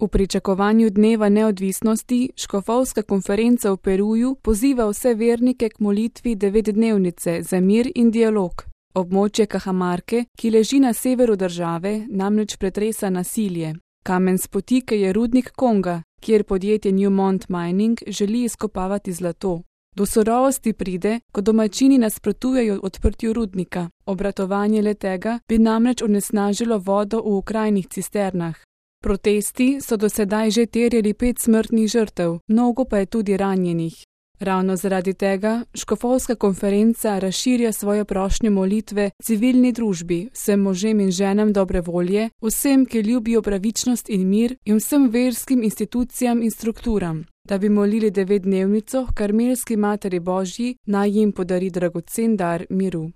V pričakovanju dneva neodvisnosti škofovska konferenca v Peruju poziva vse vernike k molitvi 9-dnevnice za mir in dialog. Območje Cajamarque, ki leži na severu države, namreč pretresa nasilje. Kamen spotike je rudnik Konga, kjer podjetje Newmont Mining želi izkopavati zlato. Do surovosti pride, ko domačini nasprotujejo odprtju rudnika. Obratovanje le-tega bi namreč onesnažilo vodo v okrajnih cisternah. Protesti so do sedaj že terjali 5 smrtnih žrtev, mnogo pa je tudi ranjenih. Ravno zaradi tega škofovska konferenca razširja svoje prošnje molitve civilni družbi, vsem možem in ženam dobre volje, vsem, ki ljubijo pravičnost in mir, in vsem verskim institucijam in strukturam, da bi molili 9-dnevnico h Karmelski Materi Božji, naj jim podari dragocen dar miru.